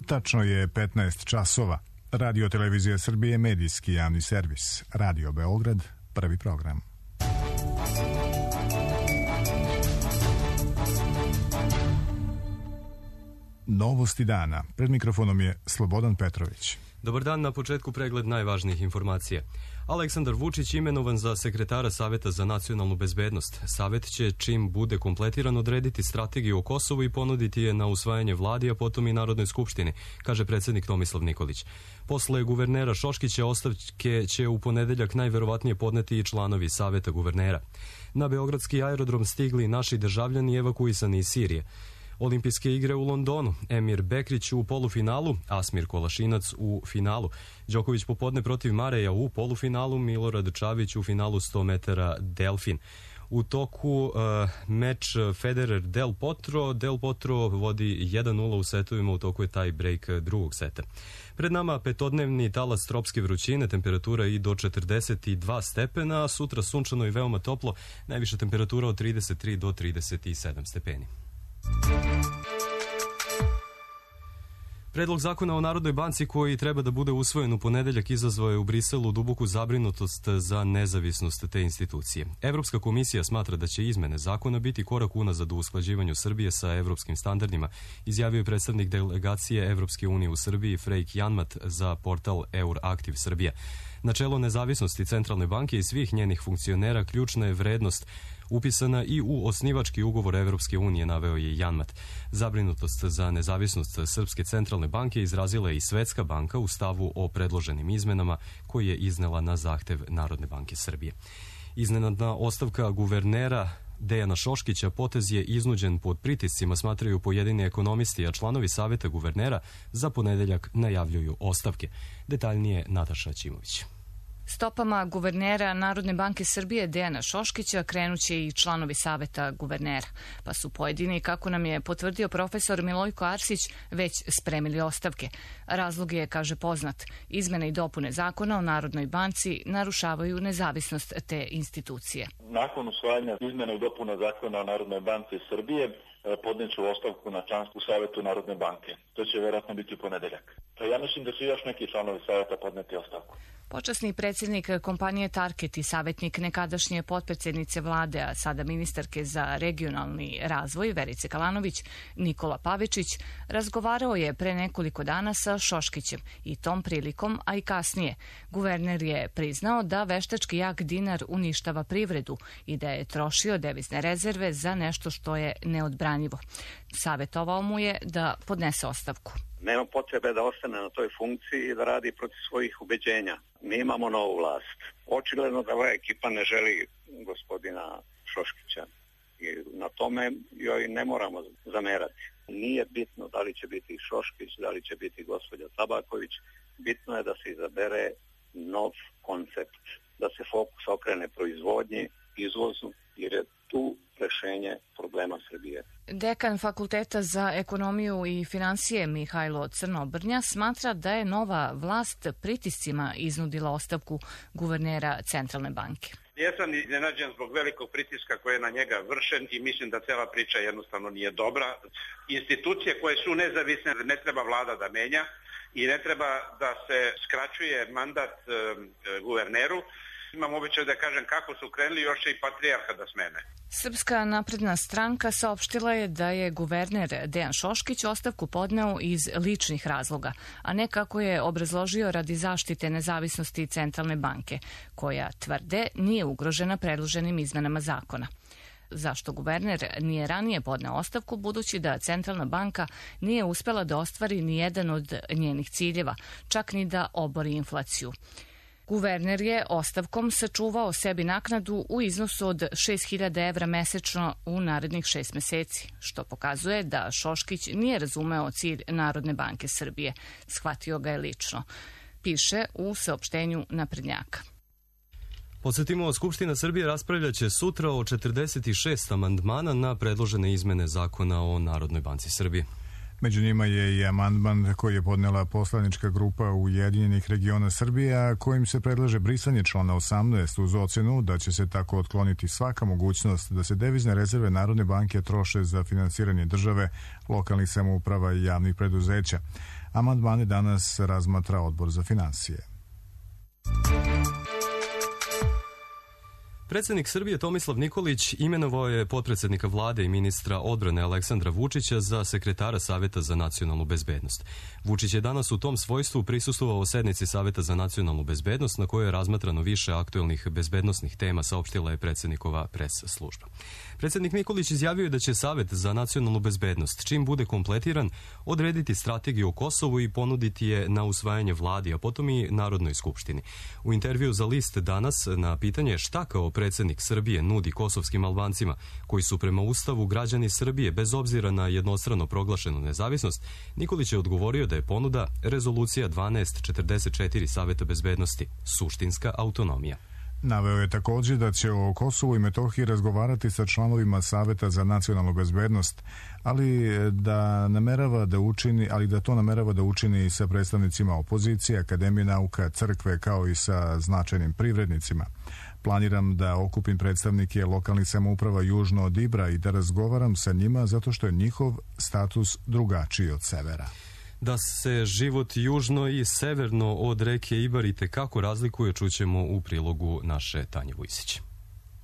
Tačno je 15 časova. Radio Televizija Srbije, medijski javni servis. Radio Beograd, prvi program. Novosti dana. Pred mikrofonom je Slobodan Petrović. Dobar dan, na početku pregled najvažnijih informacija. Aleksandar Vučić imenovan za sekretara Saveta za nacionalnu bezbednost. Savet će, čim bude kompletiran, odrediti strategiju o Kosovu i ponuditi je na usvajanje vladi, a potom i Narodnoj skupštini, kaže predsjednik Tomislav Nikolić. Posle guvernera Šoškića ostavke će u ponedeljak najverovatnije podneti i članovi Saveta guvernera. Na beogradski aerodrom stigli naši državljani evakuisani iz Sirije. Olimpijske igre u Londonu, Emir Bekrić u polufinalu, Asmir Kolašinac u finalu, Đoković popodne protiv Mareja u polufinalu, Milorad Čavić u finalu 100 metara Delfin. U toku meč Federer-Del Potro vodi 1-0 u setovima, u toku je taj break drugog seta. Pred nama petodnevni talas tropske vrućine, temperatura i do 42 stepena, a sutra sunčano i veoma toplo, najviša temperatura od 33 do 37 stepeni. Predlog zakona o Narodnoj banci koji treba da bude usvojen u ponedeljak izazvao je u Briselu duboku zabrinutost za nezavisnost te institucije. Evropska komisija smatra da će izmene zakona biti korak unazad u usklađivanju Srbije sa evropskim standardima, izjavio je predstavnik delegacije Evropske unije u Srbiji Frejk Janmat za portal Euraktiv Srbija. Načelo nezavisnosti Centralne banke i svih njenih funkcionera ključna je vrednost upisana i u osnivački ugovor Evropske unije, naveo je Janmat. Zabrinutost za nezavisnost Srpske centralne banke izrazila je i Svetska banka u stavu o predloženim izmenama koji je iznela na zahtev Narodne banke Srbije. Iznenadna ostavka guvernera Dejana Šoškića potez je iznuđen pod pritiscima, smatraju pojedini ekonomisti, a članovi Saveta guvernera za ponedeljak najavljuju ostavke. Detaljnije Nataša Ćimović. Stopama guvernera Narodne banke Srbije Dejana Šoškića krenuće i članovi Saveta guvernera, pa su pojedini, kako nam je potvrdio profesor Milojko Arsić, već spremili ostavke. Razlog je, kaže, poznat. Izmene i dopune zakona o Narodnoj banci narušavaju nezavisnost te institucije. Nakon usvajanja izmena i dopuna zakona o Narodnoj banci Srbije podneću ostavku na članstvu u Savetu Narodne banke. To će vjerojatno biti u ponedeljak. Ja mislim da će još neki članovi Saveta podneti ostavku. Počasni predsjednik kompanije Tarket i savjetnik nekadašnje potpredsjednice vlade, a sada ministarke za regionalni razvoj Verice Kalanović, Nikola Pavičić, razgovarao je pre nekoliko dana sa Šoškićem i tom prilikom, a i kasnije. Guverner je priznao da veštački jak dinar uništava privredu i da je trošio devizne rezerve za nešto što je neodbranjivo. Savjetovao mu je da podnese ostavku. Nema potrebe da ostane na toj funkciji i da radi protiv svojih ubeđenja. Mi imamo novu vlast. Očigledno da ova ekipa ne želi gospodina Šoškića i na tome joj ne moramo zamerati. Nije bitno da li će biti Šoškić, da li će biti gospođa Tabaković. Bitno je da se izabere nov koncept, da se fokus okrene proizvodnji, izvozu, jer je tu rešenje problema Srbije. Dekan Fakulteta za ekonomiju i finansije Mihajlo Crnobrnja smatra da je nova vlast pritiscima iznudila ostavku guvernera Centralne banke. Jesam iznenađen zbog velikog pritiska koji je na njega vršen i mislim da cela priča jednostavno nije dobra. Institucije koje su nezavisne ne treba vlada da menja i ne treba da se skraćuje mandat guverneru. Imam običaj da kažem kako su krenuli, još će i patrijarha da smene. Srpska napredna stranka saopštila je da je guverner Dejan Šoškić ostavku podneo iz ličnih razloga, a ne kako je obrazložio radi zaštite nezavisnosti Centralne banke, koja, tvrde, nije ugrožena predloženim izmenama zakona. Zašto guverner nije ranije podneo ostavku, budući da Centralna banka nije uspela da ostvari ni jedan od njenih ciljeva, čak ni da obori inflaciju. Guverner je ostavkom sačuvao sebi naknadu u iznosu od 6.000 evra mesečno u narednih 6 meseci, što pokazuje da Šoškić nije razumeo cilj Narodne banke Srbije. Shvatio ga je lično, piše u saopštenju naprednjaka. Podsjetimo, Skupština Srbije raspravljaće sutra o 46 amandmana na predložene izmene zakona o Narodnoj banci Srbije. Među njima je i amandman koji je podnela poslanička grupa Ujedinjenih regiona Srbije, a kojim se predlaže brisanje člana 18 uz ocenu da će se tako otkloniti svaka mogućnost da se devizne rezerve Narodne banke troše za finansiranje države, lokalnih samouprava i javnih preduzeća. Amandmane danas razmatra Odbor za finansije. Predsjednik Srbije Tomislav Nikolić imenovao je potpredsjednika vlade i ministra odbrane Aleksandra Vučića za sekretara Saveta za nacionalnu bezbednost. Vučić je danas u tom svojstvu prisustvovao sednici Saveta za nacionalnu bezbednost na kojoj je razmatrano više aktuelnih bezbednosnih tema, saopštila je predsjednikova pres služba. Predsjednik Nikolić izjavio je da će Savet za nacionalnu bezbednost, čim bude kompletiran, odrediti strategiju o Kosovu i ponuditi je na usvajanje vladi, a potom i Narodnoj skupštini. U intervju za List danas na pitanje šta kao predsjednik Srbije nudi kosovskim Albancima, koji su prema Ustavu građani Srbije bez obzira na jednostrano proglašenu nezavisnost, Nikolić je odgovorio da je ponuda Rezolucija 1244 Saveta bezbednosti, suštinska autonomija. Naveo je također da će o Kosovu i Metohiji razgovarati sa članovima Saveta za nacionalnu bezbednost, ali da to namerava da učini i sa predstavnicima opozicije, Akademije nauka, crkve, kao i sa značajnim privrednicima. Planiram da okupim predstavnike lokalnih samouprava južno od Ibra i da razgovaram sa njima zato što je njihov status drugačiji od severa. Da se život južno i severno od reke Ibar itekako razlikuje, čućemo u prilogu naše Tanje Vujsić.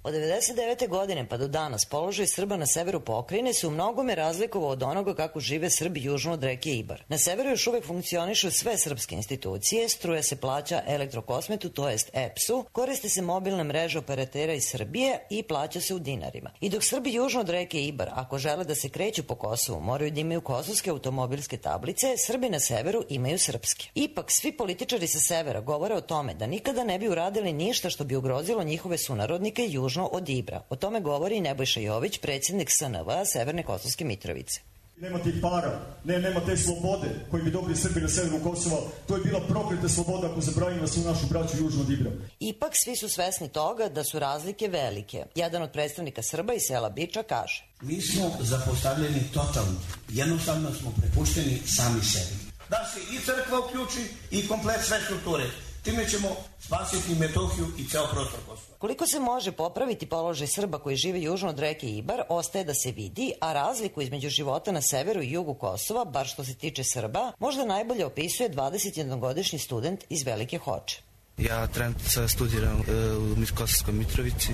Od 1999. godine pa do danas položaj Srba na severu pokrajine se u mnogome razlikovao od onoga kako žive Srbi južno od reke Ibar. Na severu još uvek funkcionišu sve srpske institucije, struja se plaća Elektrokosmetu, to jest EPS-u, koriste se mobilne mreže operatera iz Srbije i plaća se u dinarima. I dok Srbi južno od reke Ibar, ako žele da se kreću po Kosovu, moraju da imaju kosovske automobilske tablice, Srbi na severu imaju srpske. Ipak, svi političari sa severa govore o tome da nikada ne bi uradili ništa što bi ugrozilo njihove sunarodnike južno od Ibra. O tome govori Nebojša Jović, predsjednik SNV Severne Kosovske Mitrovice. Nema tih para, nema te slobode koji bi dobili Srbi na severu Kosova. To je bila prokleta sloboda ako zabranimo svu našu braću južno od Ibra. Ipak svi su svesni toga da su razlike velike. Jedan od predstavnika Srba iz sela Biča kaže: Mi smo zapostavljeni totalno. Jednostavno smo prepušteni sami sebi. Da se i crkva uključi i komplet sve strukture. Time ćemo spasiti Metohiju i ceo prostor Kosova. Koliko se može popraviti položaj Srba koji žive južno od reke Ibar, ostaje da se vidi, a razliku između života na severu i jugu Kosova, bar što se tiče Srba, možda najbolje opisuje 21-godišnji student iz Velike Hoče. Ja trenutno studiram u Kosovskoj Mitrovici,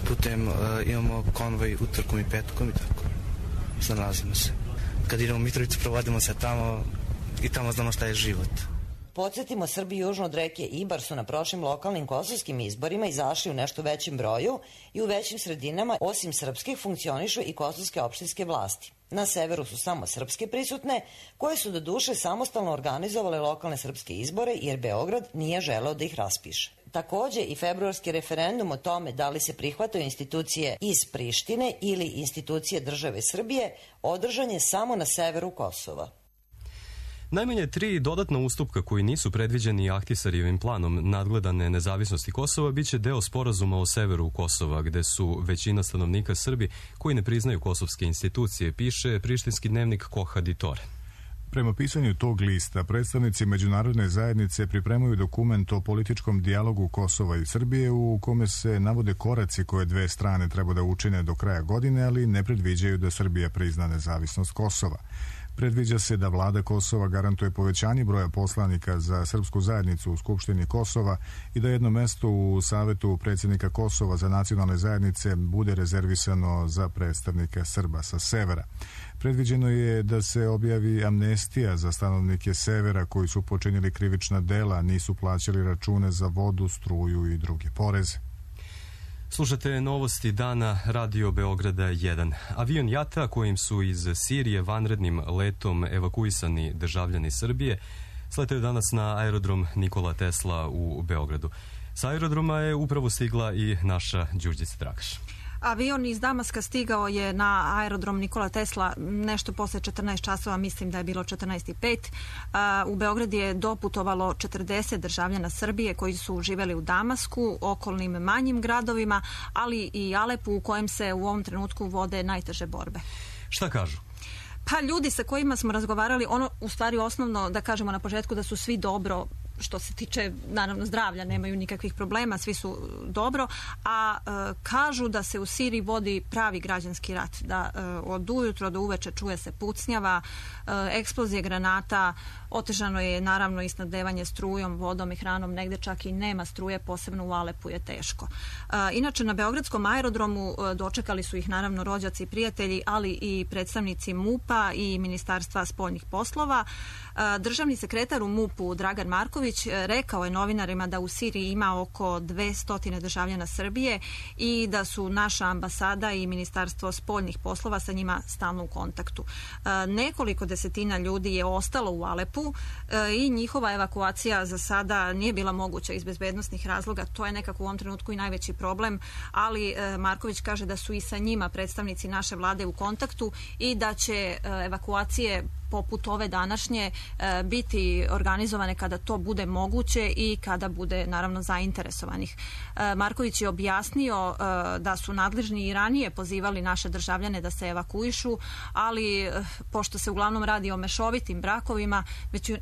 putem imamo konvoj utorkom i petkom i tako, zanalazimo se. Kad idemo u Mitrovicu, provodimo se tamo i tamo znamo šta je život. Podsjetimo, Srbi južno od reke Ibar su na prošlim lokalnim kosovskim izborima izašli u nešto većem broju i u većim sredinama, osim srpskih, funkcionišu i kosovske opštinske vlasti. Na severu su samo srpske prisutne, koje su do duše samostalno organizovale lokalne srpske izbore, jer Beograd nije želeo da ih raspiše. Takođe i februarski referendum o tome da li se prihvataju institucije iz Prištine ili institucije države Srbije održan je samo na severu Kosova. Najmanje 3 dodatna ustupka koji nisu predviđeni Ahtisarijevim planom nadgledane nezavisnosti Kosova biće deo sporazuma o severu Kosova, gde su većina stanovnika Srbi koji ne priznaju kosovske institucije, piše prištinski dnevnik Kohaditore. Prema pisanju tog lista, predstavnici međunarodne zajednice pripremaju dokument o političkom dijalogu Kosova i Srbije u kome se navode koraci koje dve strane treba da učine do kraja godine, ali ne predviđaju da Srbija prizna nezavisnost Kosova. Predviđa se da vlada Kosova garantuje povećanje broja poslanika za srpsku zajednicu u Skupštini Kosova i da jedno mesto u Savetu predsjednika Kosova za nacionalne zajednice bude rezervisano za predstavnika Srba sa severa. Predviđeno je da se objavi amnestija za stanovnike severa koji su počinili krivična dela, nisu plaćali račune za vodu, struju i druge poreze. Slušate novosti dana Radio Beograda 1. Avion Jata kojim su iz Sirije vanrednim letom evakuisani državljani Srbije sletaju danas na aerodrom Nikola Tesla u Beogradu. Sa aerodroma je upravo stigla i naša Đurđica Dragaš. Avion iz Damaska stigao je na aerodrom Nikola Tesla nešto posle 14 časova, mislim da je bilo 14:05. U Beograd je doputovalo 40 državljana Srbije koji su živeli u Damasku, okolnim manjim gradovima, ali i Alepu u kojem se u ovom trenutku vode najteže borbe. Šta kažu? Pa ljudi sa kojima smo razgovarali, ono u stvari osnovno da kažemo na početku da su svi dobro što se tiče naravno zdravlja, nemaju nikakvih problema, svi su dobro, a kažu da se u Siriji vodi pravi građanski rat, da od ujutro do uveče čuje se pucnjava, eksplozije granata, otežano je naravno i snabdevanje strujom, vodom i hranom, negde čak i nema struje, posebno u Alepu je teško. Inače na Beogradskom aerodromu dočekali su ih naravno rođaci i prijatelji, ali i predstavnici MUP-a i Ministarstva spoljnih poslova. Državni sekretar u MUP-u Dragan Marković rekao je novinarima da u Siriji ima oko 200 državljana Srbije i da su naša ambasada i Ministarstvo spoljnih poslova sa njima stalno u kontaktu. Nekoliko desetina ljudi je ostalo u Alepu i njihova evakuacija za sada nije bila moguća iz bezbednosnih razloga. To je nekako u ovom trenutku i najveći problem, ali Marković kaže da su i sa njima predstavnici naše vlade u kontaktu i da će evakuacije poput ove današnje biti organizovane kada to bude moguće i kada bude naravno zainteresovanih. Marković je objasnio da su nadležni i ranije pozivali naše državljane da se evakuišu, ali pošto se uglavnom radi o mešovitim brakovima,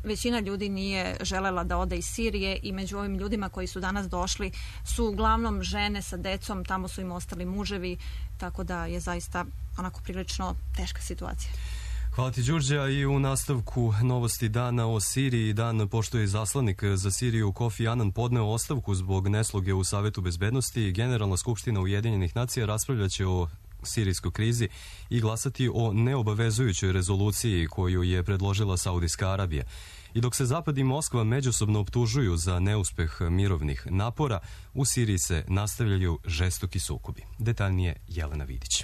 većina ljudi nije želela da ode iz Sirije i među ovim ljudima koji su danas došli su uglavnom žene sa decom, tamo su im ostali muževi, tako da je zaista onako prilično teška situacija. Hvala ti, Đurđa. I u nastavku novosti dana o Siriji, dan pošto je izaslanik za Siriju Kofi Anan podneo ostavku zbog nesloge u Savetu bezbednosti, Generalna skupština Ujedinjenih nacija raspravljaće o sirijskoj krizi i glasati o neobavezujućoj rezoluciji koju je predložila Saudijska Arabija. I dok se Zapad i Moskva međusobno optužuju za neuspeh mirovnih napora, u Siriji se nastavljaju žestoki sukobi. Detaljnije Jelena Vidić.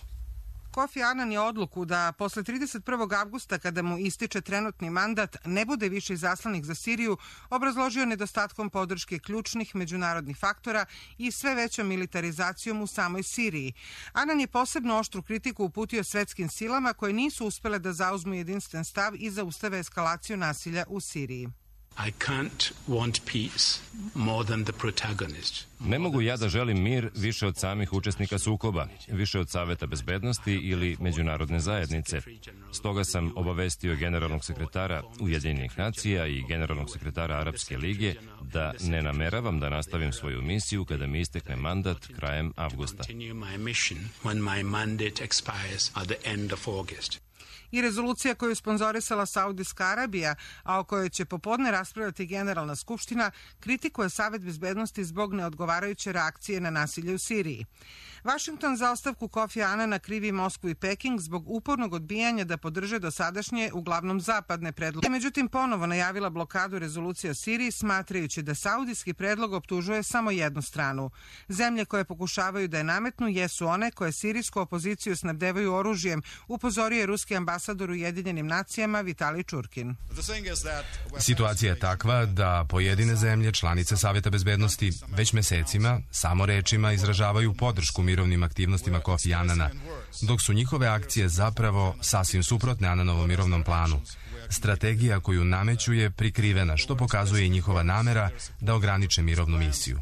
Kofi Anan je odluku da posle 31. avgusta, kada mu ističe trenutni mandat, ne bude više izaslanik za Siriju, obrazložio nedostatkom podrške ključnih međunarodnih faktora i sve većom militarizacijom u samoj Siriji. Anan je posebno oštru kritiku uputio svetskim silama koje nisu uspele da zauzmu jedinstven stav i zaustave eskalaciju nasilja u Siriji. Ne mogu ja da želim mir više od samih učesnika sukoba, više od Saveta bezbednosti ili međunarodne zajednice. Stoga sam obavestio generalnog sekretara Ujedinjenih nacija i generalnog sekretara Arapske lige da ne nameravam da nastavim svoju misiju kada mi istekne mandat krajem avgusta. I rezolucija koju je sponzorisala Saudijska Arabija, a o kojoj će popodne raspravljati Generalna skupština, kritikuje Savet bezbednosti zbog neodgovarajuće reakcije na nasilje u Siriji. Vašington za ostavku Kofi Anana krivi Moskvu i Peking zbog upornog odbijanja da podrže dosadašnje, uglavnom zapadne predloge. Međutim, ponovo najavila blokadu rezolucije o Siriji, smatrajući da saudijski predlog optužuje samo jednu stranu. Zemlje koje pokušavaju da je nametnu jesu one koje sirijsku opoziciju snabdevaju oružjem, upozorio je ruski ambasador u Ujedinjenim nacijama Vitalij Čurkin. Situacija je takva da pojedine zemlje, članice Saveta bezbednosti, već mesecima samo rečima izražavaju podršku mirovnim aktivnostima Kofi Anana, dok su njihove akcije zapravo sasvim suprotne Ananovom mirovnom planu. Strategija koju nameću je prikrivena, što pokazuje i njihova namera da ograniče mirovnu misiju.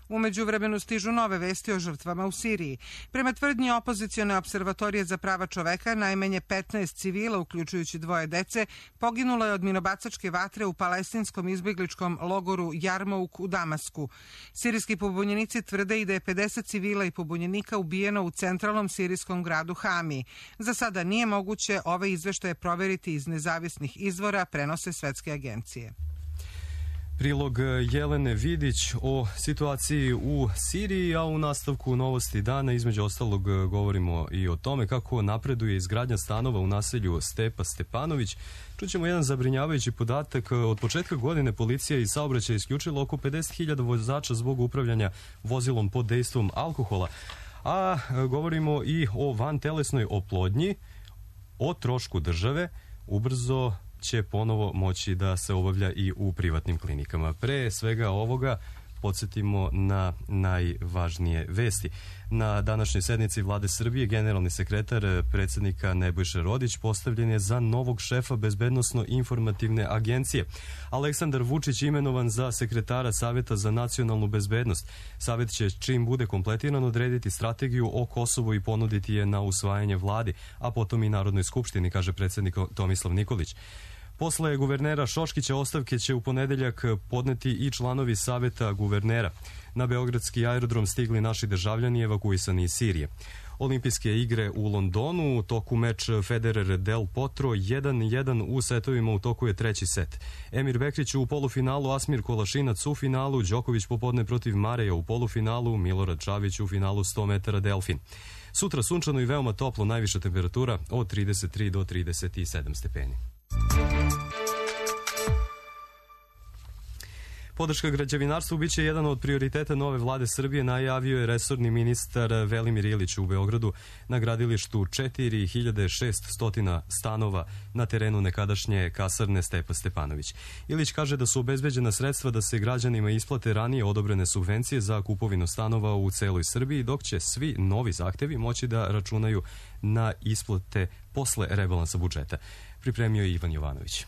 U međuvremenu stižu nove vesti o žrtvama u Siriji. Prema tvrdnji opozicione observatorije za prava čoveka, najmanje 15 civila, uključujući 2 dece, poginulo je od minobacačke vatre u palestinskom izbegličkom logoru Jarmouk u Damasku. Sirijski pobunjenici tvrde i da je 50 civila i pobunjenika ubijeno u centralnom sirijskom gradu Hami. Za sada nije moguće ove izveštaje proveriti iz nezavisnih izvora, prenose svetske agencije. Prilog Jelene Vidić o situaciji u Siriji, a u nastavku novosti dana između ostalog govorimo i o tome kako napreduje izgradnja stanova u naselju Stepa Stepanović. Čućemo jedan zabrinjavajući podatak. Od početka godine policija iz saobraćaja isključila oko 50.000 vozača zbog upravljanja vozilom pod dejstvom alkohola. A govorimo i o vantelesnoj oplodnji, o trošku države, ubrzo će ponovo moći da se obavlja i u privatnim klinikama. Pre svega ovoga podsjetimo na najvažnije vesti. Na današnjoj sednici Vlade Srbije generalni sekretar predsjednika Nebojša Rodić postavljen je za novog šefa Bezbednosno-informativne agencije. Aleksandar Vučić imenovan za sekretara Saveta za nacionalnu bezbednost. Savet će, čim bude kompletiran, odrediti strategiju o Kosovu i ponuditi je na usvajanje vladi, a potom i Narodnoj skupštini, kaže predsjednik Tomislav Nikolić. Posle guvernera Šoškića ostavke će u ponedeljak podneti i članovi Saveta guvernera. Na beogradski aerodrom stigli naši državljani evakuisani iz Sirije. Olimpijske igre u Londonu, u toku meč Federer Del Potro 1-1 u setovima, u toku je treći set. Emir Bekrić u polufinalu, Asmir Kolašinac u finalu, Đoković popodne protiv Mareja u polufinalu, Milorad Čavić u finalu 100 metara Delfin. Sutra sunčano i veoma toplo, najviša temperatura od 33 do 37 stepeni. Podrška građevinarstvu biće jedan od prioriteta nove vlade Srbije, najavio je resorni ministar Velimir Ilić u Beogradu na gradilištu 4600 stanova na terenu nekadašnje kasarne Stepa Stepanović. Ilić kaže da su obezbeđena sredstva da se građanima isplate ranije odobrene subvencije za kupovinu stanova u celoj Srbiji, dok će svi novi zahtevi moći da računaju na isplate posle rebalansa budžeta. Pripremio je Ivan Jovanović.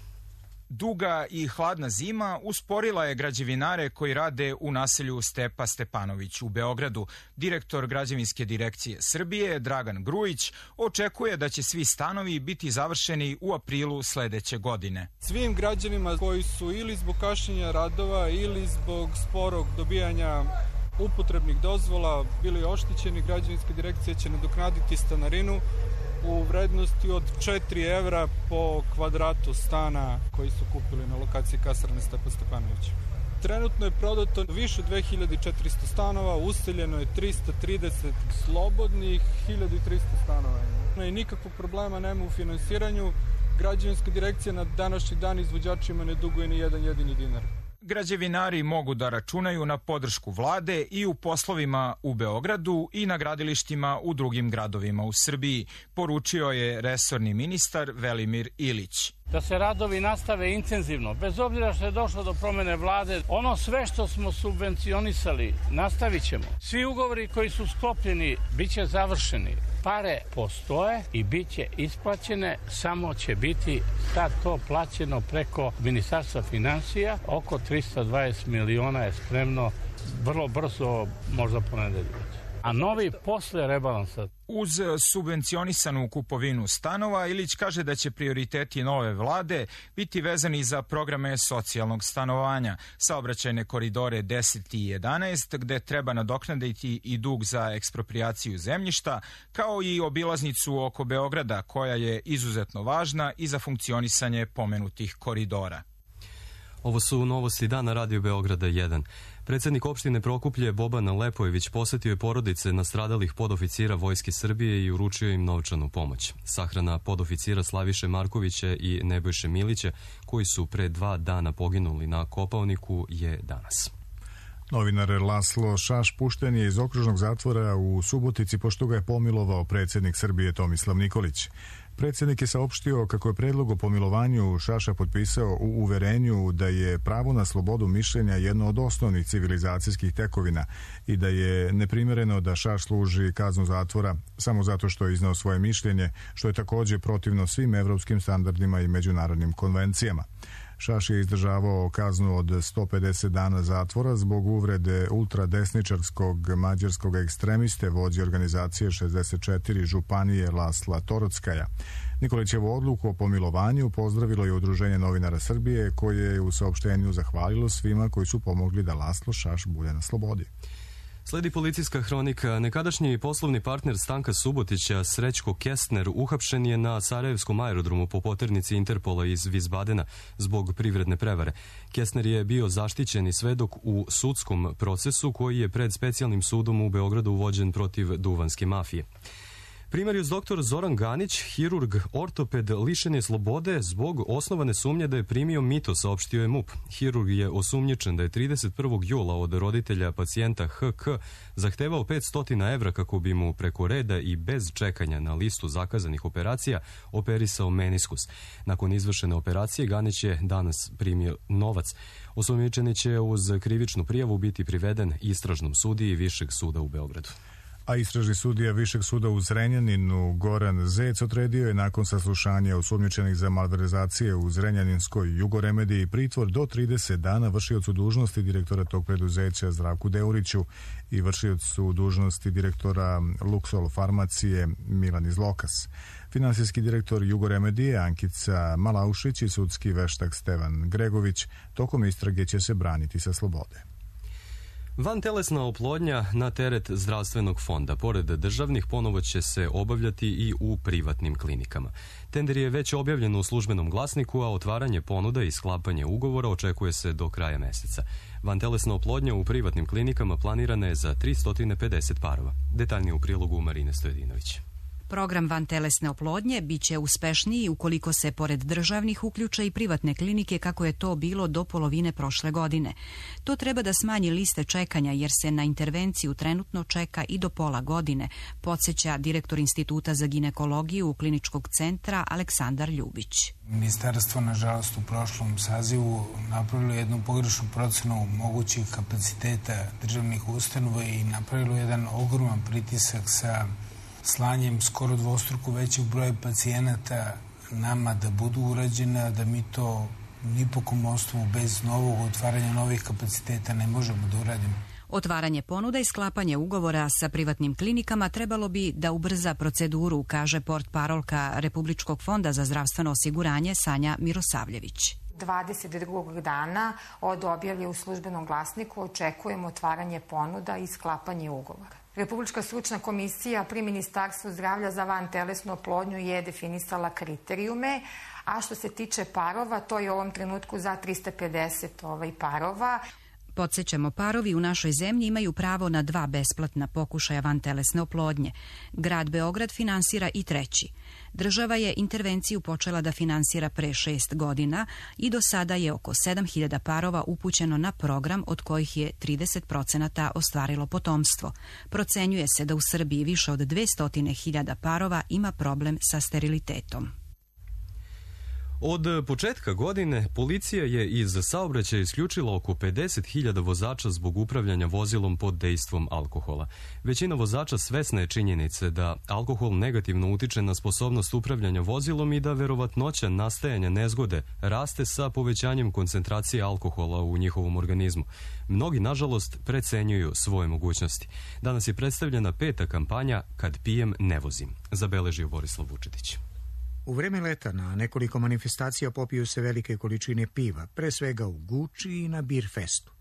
Duga i hladna zima usporila je građevinare koji rade u naselju Stepa Stepanović u Beogradu. Direktor građevinske direkcije Srbije, Dragan Grujić, očekuje da će svi stanovi biti završeni u aprilu sledeće godine. Svim građanima koji su ili zbog kašnjenja radova ili zbog sporog dobijanja upotrebnih dozvola bili oštećeni, građevinska direkcija će nadoknaditi stanarinu u vrednosti od 4 evra po kvadratu stana koji su kupili na lokaciji kasarne Stepa Stepanović. Trenutno je prodato više 2400 stanova, useljeno je 330 slobodnih, 1300 stanova. I nikakvog problema nema u finansiranju. Građevinska direkcija na današnji dan izvođačima ne duguje ni jedan jedini dinar. Građevinari mogu da računaju na podršku vlade i u poslovima u Beogradu i na gradilištima u drugim gradovima u Srbiji, poručio je resorni ministar Velimir Ilić. Da se radovi nastave intenzivno, bez obzira što je došlo do promene vlade, ono sve što smo subvencionisali nastavit ćemo. Svi ugovori koji su sklopljeni bit će završeni. Pare postoje i bit će isplaćene, samo će biti sad to plaćeno preko Ministarstva finansija. Oko 320 miliona je spremno, vrlo brzo, možda ponedeljak. A novi posle rebalansa. Uz subvencionisanu kupovinu stanova, Ilić kaže da će prioriteti nove vlade biti vezani za programe socijalnog stanovanja, saobraćajne koridore 10 i 11, gde treba nadoknaditi i dug za eksproprijaciju zemljišta, kao i obilaznicu oko Beograda, koja je izuzetno važna i za funkcionisanje pomenutih koridora. Ovo su novosti dana Radio Beograda 1. Predsjednik opštine Prokuplje Boban Lepojević posetio je porodice nastradalih podoficira Vojske Srbije i uručio im novčanu pomoć. Sahrana podoficira Slaviše Markovića i Nebojše Milića, koji su pre 2 dana poginuli na Kopaoniku, je danas. Novinar Laslo Šaš pušten je iz okružnog zatvora u Subotici pošto ga je pomilovao predsjednik Srbije Tomislav Nikolić. Predsjednik je saopštio kako je predlog o pomilovanju Šaša potpisao u uverenju da je pravo na slobodu mišljenja jedno od osnovnih civilizacijskih tekovina i da je neprimjereno da Šaš služi kaznu zatvora samo zato što je iznao svoje mišljenje, što je također protivno svim evropskim standardima i međunarodnim konvencijama. Šaš je izdržavao kaznu od 150 dana zatvora zbog uvrede ultradesničarskog mađarskog ekstremiste, vođe organizacije 64 županije Lasla Torockaja. Nikolićevu odluku o pomilovanju pozdravilo je Udruženje novinara Srbije, koje je u saopštenju zahvalilo svima koji su pomogli da Laslo Šaš bude na slobodi. Sledi policijska hronika. Nekadašnji poslovni partner Stanka Subotića, Srećko Kestner, uhapšen je na Sarajevskom aerodromu po poternici Interpola iz Vizbadena zbog privredne prevare. Kestner je bio zaštićeni svedok u sudskom procesu koji je pred specijalnim sudom u Beogradu vođen protiv duvanske mafije. Primarius dr. Zoran Ganić, hirurg, ortoped, lišen je slobode zbog osnovane sumnje da je primio mito, saopštio je MUP. Hirurg je osumnjičen da je 31. jula od roditelja pacijenta HK zahtevao 500 evra kako bi mu preko reda i bez čekanja na listu zakazanih operacija operisao meniskus. Nakon izvršene operacije Ganić je danas primio novac. Osumnjičeni će uz krivičnu prijavu biti priveden istražnom sudiji Višeg suda u Beogradu. A istražni sudija Višeg suda u Zrenjaninu Goran Zec odredio je nakon saslušanja osumnjičenih za malverzacije u Zrenjaninskoj Jugoremediji pritvor do 30 dana vršiocu dužnosti direktora tog preduzeća Zdravku Deuriću i vršiocu dužnosti direktora Luxol farmacije Milan Izlokas. Finansijski direktor Jugoremedije Ankica Malaušić i sudski veštak Stevan Gregović tokom istrage će se braniti sa slobode. Vantelesna oplodnja na teret zdravstvenog fonda, pored državnih, ponovo će se obavljati i u privatnim klinikama. Tender je već objavljen u službenom glasniku, a otvaranje ponuda i sklapanje ugovora očekuje se do kraja meseca. Vantelesna oplodnja u privatnim klinikama planirana je za 350 parova. Detaljnije u prilogu Marine Stojedinović. Program vantelesne oplodnje biće uspešniji ukoliko se pored državnih uključe i privatne klinike kako je to bilo do polovine prošle godine. To treba da smanji liste čekanja jer se na intervenciju trenutno čeka i do pola godine, podsjeća direktor Instituta za ginekologiju Kliničkog centra Aleksandar Ljubić. Ministarstvo, nažalost, u prošlom sazivu napravilo jednu pogrešnu procenu mogućih kapaciteta državnih ustanova i napravilo jedan ogroman pritisak sa slanjem skoro dvostruko većeg broja pacijenata nama da budu urađena, da mi to ni po kom osnovu bez novog otvaranja novih kapaciteta ne možemo da uradimo. Otvaranje ponuda i sklapanje ugovora sa privatnim klinikama trebalo bi da ubrza proceduru, kaže portparolka Republičkog fonda za zdravstveno osiguranje Sanja Mirosavljević. 22. dana od objave u službenom glasniku očekujemo otvaranje ponuda i sklapanje ugovora. Republička stručna komisija pri Ministarstvu zdravlja za vantelesnu oplodnju je definisala kriterijume, a što se tiče parova, to je u ovom trenutku za 350 parova. Podsjećamo, parovi u našoj zemlji imaju pravo na 2 besplatna pokušaja vantelesne oplodnje. Grad Beograd finansira i 3. Država je intervenciju počela da finansira pre 6 godina i do sada je oko 7.000 parova upućeno na program, od kojih je 30% ostvarilo potomstvo. Procenjuje se da u Srbiji više od 200.000 parova ima problem sa sterilitetom. Od početka godine policija je iz saobraćaja isključila oko 50.000 vozača zbog upravljanja vozilom pod dejstvom alkohola. Većina vozača svesna je činjenice da alkohol negativno utiče na sposobnost upravljanja vozilom i da verovatnoća nastajanja nezgode raste sa povećanjem koncentracije alkohola u njihovom organizmu. Mnogi, nažalost, precenjuju svoje mogućnosti. Danas je predstavljena 5. kampanja Kad pijem ne vozim, zabeležio Borislav Vučetić. U vreme leta na nekoliko manifestacija popiju se velike količine piva, pre svega u Guči i na Beer Festu.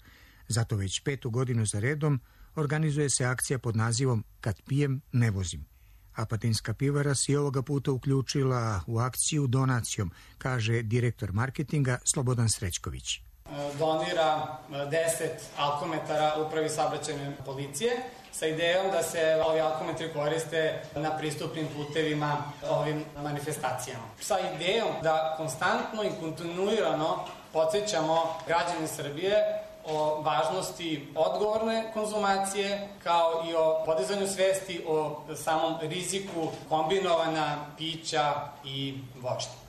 Zato već 5. godinu za redom organizuje se akcija pod nazivom Kad pijem ne vozim. Apatinska pivara se i ovoga puta uključila u akciju donacijom, kaže direktor marketinga Slobodan Srećković. Donira 10 alkometara upravi saobraćajne policije sa idejom da se ovi alkometri koriste na pristupnim putevima ovim manifestacijama. Sa idejom da konstantno i kontinuirano podsjećamo građane Srbije o važnosti odgovorne konzumacije, kao i o podizanju svesti o samom riziku kombinovana pića i vožnje.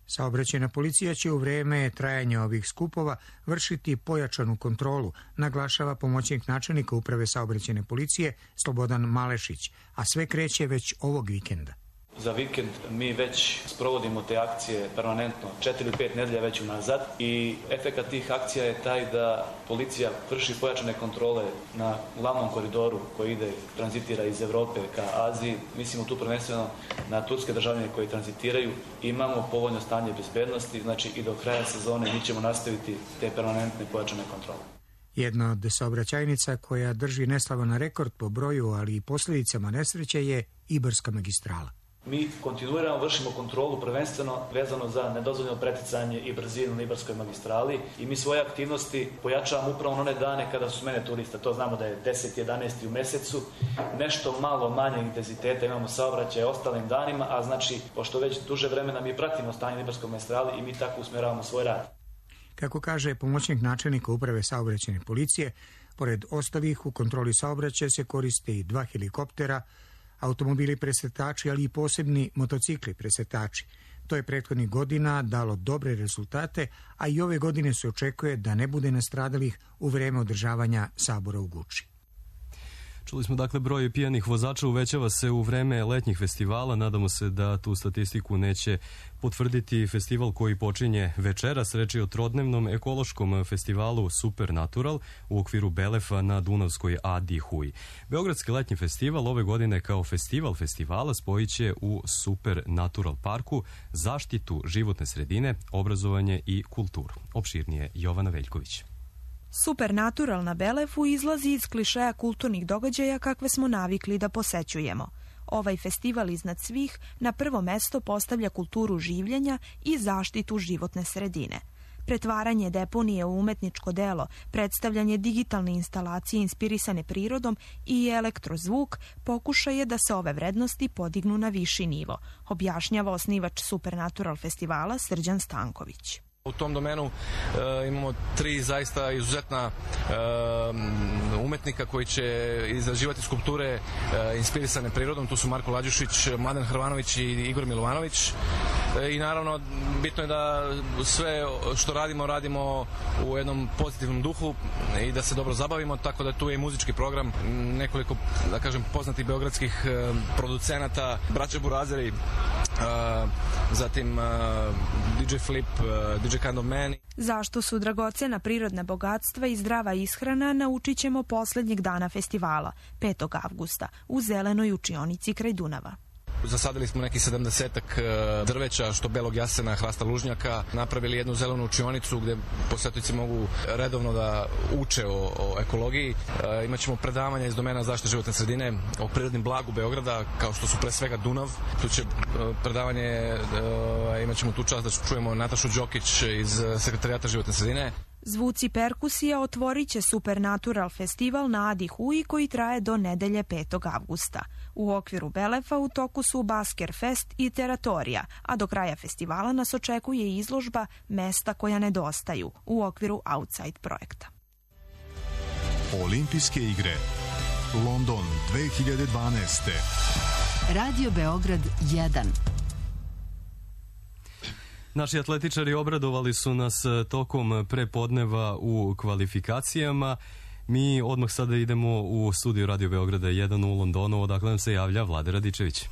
Saobraćajna policija će u vreme trajanja ovih skupova vršiti pojačanu kontrolu, naglašava pomoćnik načelnika uprave saobraćajne policije Slobodan Malešić, a sve kreće već ovog vikenda. Za vikend mi već sprovodimo te akcije permanentno 4 ili 5 nedelja već unazad i efekat tih akcija je taj da policija vrši pojačane kontrole na glavnom koridoru koji tranzitira iz Evrope ka Aziji. Mislimo tu prvenstveno na turske državljane koji tranzitiraju. Imamo povoljno stanje bezbednosti, znači i do kraja sezone mi ćemo nastaviti te permanentne pojačane kontrole. Jedna od saobraćajnica koja drži neslavan rekord po broju, ali i posljedicama nesreće je Ibarska magistrala. Mi kontinuirano vršimo kontrolu prvenstveno vezano za nedozvoljeno preticanje i brzinu na Ibarskoj magistrali i mi svoje aktivnosti pojačavamo upravo na one dane kada su smene turista. To znamo da je 10-11 u mesecu, nešto malo manje intenziteta imamo saobraćaja ostalim danima, a znači, pošto već duže vremena mi pratimo stanje na Ibarskoj magistrali i mi tako usmjeravamo svoj rad. Kako kaže pomoćnik načelnika uprave saobraćajne policije, pored ostalih u kontroli saobraćaja se koriste i 2 helikoptera, automobili presretači, ali i posebni motocikli presretači. To je prethodnih godina dalo dobre rezultate, a i ove godine se očekuje da ne bude nastradalih u vreme održavanja sabora u Guči. Čuli smo dakle broj pijanih vozača uvećava se u vreme letnjih festivala. Nadamo se da tu statistiku neće potvrditi festival koji počinje večeras. Reč je o trodnevnom ekološkom festivalu Supernatural u okviru Belefa na Dunavskoj Adi Huj. Beogradski letnji festival ove godine kao festival festivala spojit će u Supernatural parku zaštitu životne sredine, obrazovanje i kulturu. Opširnije Jovana Veljković. Supernatural na Belefu izlazi iz klišeja kulturnih događaja kakve smo navikli da posećujemo. Ovaj festival iznad svih na prvo mesto postavlja kulturu življenja i zaštitu životne sredine. Pretvaranje deponije u umetničko delo, predstavljanje digitalne instalacije inspirisane prirodom i elektrozvuk pokušaj je da se ove vrednosti podignu na viši nivo, objašnjava osnivač Supernatural festivala Srđan Stanković. U tom domenu imamo 3 zaista izuzetna umetnika koji će izrađivati skulpture inspirisane prirodom. Tu su Marko Lađušić, Mladen Hrvanović i Igor Milovanović. I naravno, bitno je da sve što radimo u jednom pozitivnom duhu i da se dobro zabavimo, tako da tu je i muzički program, nekoliko, da kažem, poznatih beogradskih producenata, braća Burazeri, zatim DJ Flip, DJ Kind of Man. Zašto su dragocena prirodna bogatstva i zdrava ishrana naučit ćemo posljednjeg dana festivala, 5. avgusta, u Zelenoj učionici kraj Dunava. Zasadili smo neki 70-ak drveća, što belog jasena, hrasta lužnjaka, napravili jednu zelenu učionicu gdje posjetioci mogu redovno da uče o ekologiji. Imaćemo predavanja iz domena zaštite životne sredine o prirodnim blagu Beograda, kao što su pre svega Dunav. Tu će predavanje, imaćemo tu čast da čujemo Natašu Đokić iz Sekretarijata životne sredine. Zvuci perkusija otvorit će Supernatural festival na Adi Huj koji traje do nedelje 5. avgusta. U okviru Belefa u toku su Basker Fest i Teratorija, a do kraja festivala nas očekuje izložba Mesta koja nedostaju u okviru Outside projekta. Olimpijske igre London 2012. Radio Beograd 1. Naši atletičari obradovali su nas tokom prepodneva u kvalifikacijama. Mi odmah sada idemo u studiju Radio Beograda 1 u Londonu, odakle nam se javlja Vlade Radičević.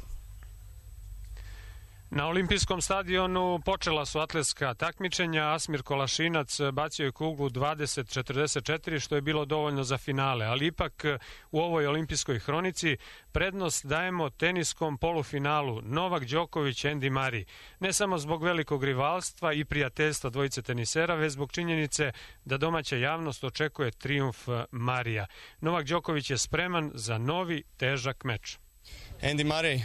Na olimpijskom stadionu počela su atletska takmičenja. Asmir Kolašinac bacio je kuglu 20-44, što je bilo dovoljno za finale, ali ipak u ovoj olimpijskoj hronici prednost dajemo teniskom polufinalu Novak Đoković, Andy Murray. Ne samo zbog velikog rivalstva i prijateljstva dvojice tenisera, već zbog činjenice da domaća javnost očekuje trijumf Marija. Novak Đoković je spreman za novi težak meč. Andy Murray,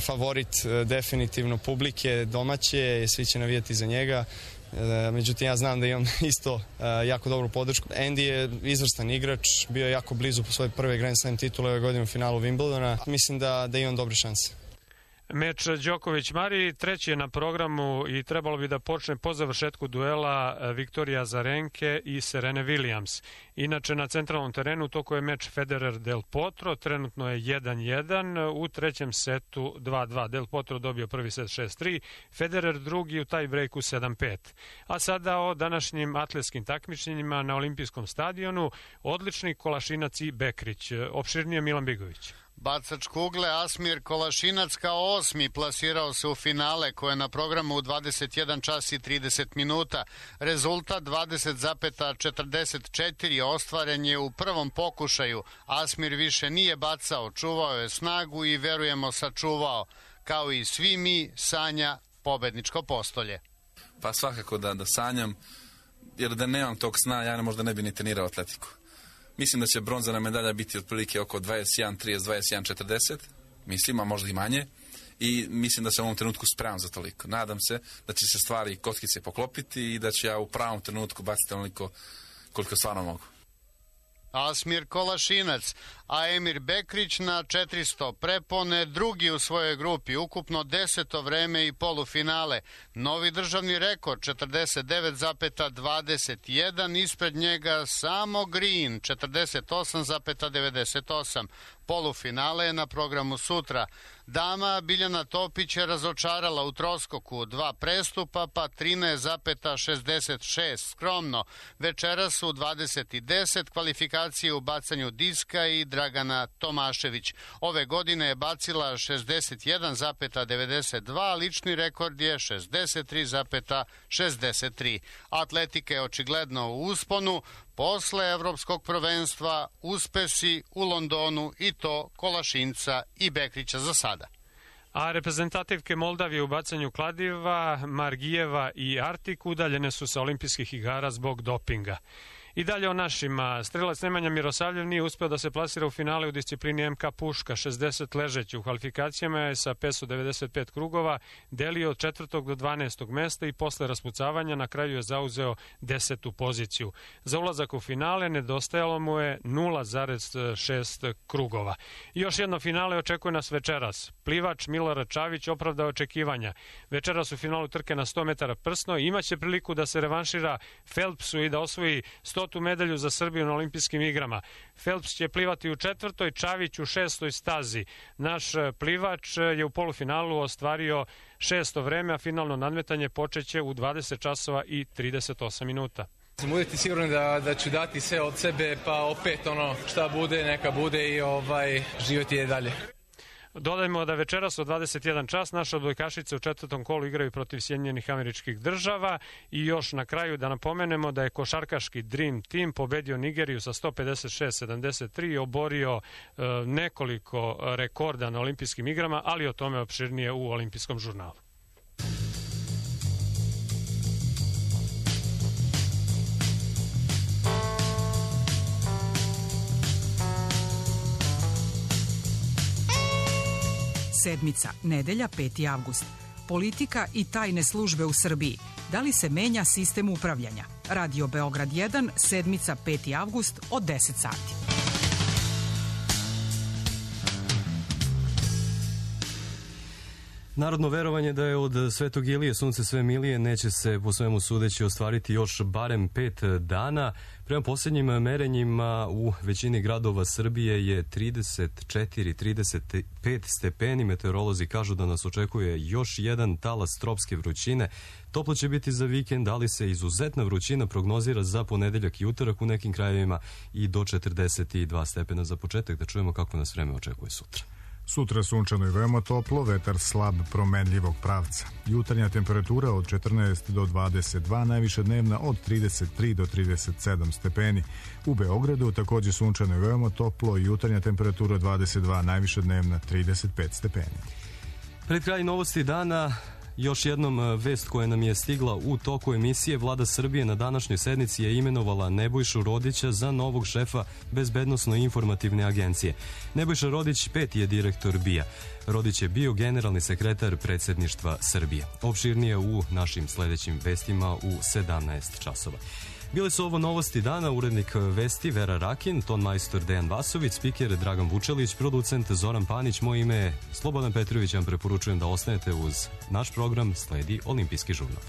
favorit definitivno publike, domaće, svi će navijati za njega. Međutim, ja znam da imam isto jako dobru podršku. Andy je izvrstan igrač, bio je jako blizu po svoje prve Grand Slam titule ove godine u finalu Wimbledona. Mislim da imam dobre šanse. Meč Đoković-Mari treći je na programu i trebalo bi da počne po završetku duela Viktorija Azarenke i Serene Williams. Inače, na centralnom terenu toko je meč Federer-Del Potro, trenutno je 1-1, u trećem setu 2-2. Del Potro dobio prvi set 6-3, Federer drugi u taj breaku 7-5. A sada o današnjim atletskim takmičenjima na olimpijskom stadionu, odlični Kolašinac i Bekrić. Opširnije Milan Bigović. Bacač kugle Asmir Kolašinac kao 8. plasirao se u finale koje je na programu u 21 čas i 30 minuta. Rezultat 20,44 ostvaren je u prvom pokušaju. Asmir više nije bacao, čuvao je snagu i verujemo sačuvao. Kao i svi mi sanja pobedničko postolje. Pa svakako da sanjam, jer da nemam tog sna ja možda ne bi ni trenirao atletiku. Mislim da će bronzana medalja biti otprilike oko 21.30, 21.40, mislim, a možda i manje. i mislim da sam u ovom trenutku spreman za toliko. Nadam se da će se stvari kockice poklopiti i da ću ja u pravom trenutku baciti onoliko koliko stvarno mogu. Asmir Kolašinac, a Emir Bekrić na 400 prepone, drugi u svojoj grupi, ukupno 10. vreme i polufinale. Novi državni rekord 49,21, ispred njega samo Green 48,98. Polufinale je na programu sutra. Dama Biljana Topić je razočarala u troskoku, 2 prestupa pa 13,66 skromno. Večeras u 20:10 kvalifikacije u bacanju diska i Dragana Tomašević. Ove godine je bacila 61,92, lični rekord je 63,63. Atletika je očigledno u usponu. Posle evropskog prvenstva uspesi u Londonu i to Kolašinca i Bekrića za sada. A reprezentativke Moldavije u bacanju kladiva, Margijeva i Artik udaljene su sa olimpijskih igara zbog dopinga. I dalje o našima. Strelac Nemanja Mirosavljev nije uspeo da se plasira u finale u disciplini MK Puška, 60 ležeći. U kvalifikacijama je sa 595 krugova delio od 4. do 12. mesta i posle raspucavanja na kraju je zauzeo 10. poziciju. Za ulazak u finale nedostajalo mu je 0,6 krugova. I još jedno finale očekuje nas večeras. Plivač Milorad Čavić opravdao očekivanja. Večeras u finalu trke na 100 metara prsno imaće priliku da se revanšira Phelpsu i da osvoji 100. medalju za Srbiju na olimpijskim igrama. Phelps će plivati u 4., Čavić u 6. stazi. Naš plivač je u polufinalu ostvario 6. vreme, a finalno nadmetanje počeće u 20 časova i 38 minuta. Budite sigurni da ću dati sve od sebe, pa opet šta bude, neka bude i život je dalje. Dodajmo da večeras od 21 čas naše odbojkašice u 4. kolu igraju protiv Sjedinjenih Američkih Država i još na kraju da napomenemo da je košarkaški Dream Team pobedio Nigeriju sa 156-73 i oborio nekoliko rekorda na olimpijskim igrama, ali o tome opširnije u olimpijskom žurnalu. Sedmica, nedelja, 5. avgust. Politika i tajne službe u Srbiji. Da li se menja sistem upravljanja? Radio Beograd 1, sedmica, 5. avgust od 10 sati. Narodno verovanje da je od Svetog Ilije sunce sve milije neće se po svemu sudeći ostvariti još barem 5 dana. Prema posljednjim merenjima u većini gradova Srbije je 34-35 stepeni. Meteorolozi kažu da nas očekuje još jedan talas tropske vrućine. Toplo će biti za vikend, ali se izuzetna vrućina prognozira za ponedeljak i utorak u nekim krajevima i do 42 stepena za početak. Da čujemo kako nas vreme očekuje sutra. Sutra sunčano i veoma toplo, vetar slab promenljivog pravca. Jutarnja temperatura od 14 do 22, najviša dnevna od 33 do 37 stepeni. U Beogradu takođe sunčano i veoma toplo, jutarnja temperatura 22, najviša dnevna 35 stepeni. Pred kraj novosti dana još jednom vest koja nam je stigla u toku emisije. Vlada Srbije na današnjoj sednici je imenovala Nebojšu Rodića za novog šefa Bezbednosno-informativne agencije. Nebojša Rodić 5. je direktor BIA. Rodić je bio generalni sekretar predsjedništva Srbije. Opširnije u našim sledećim vestima u 17 časova. Bile su ovo novosti dana, urednik vesti Vera Rakin, ton majstor Dejan Vasović, spiker Dragan Vučelić, producent Zoran Panić, moje ime je Slobodan Petrović, vam preporučujem da ostanete uz naš program, sledi Olimpijski žurnal.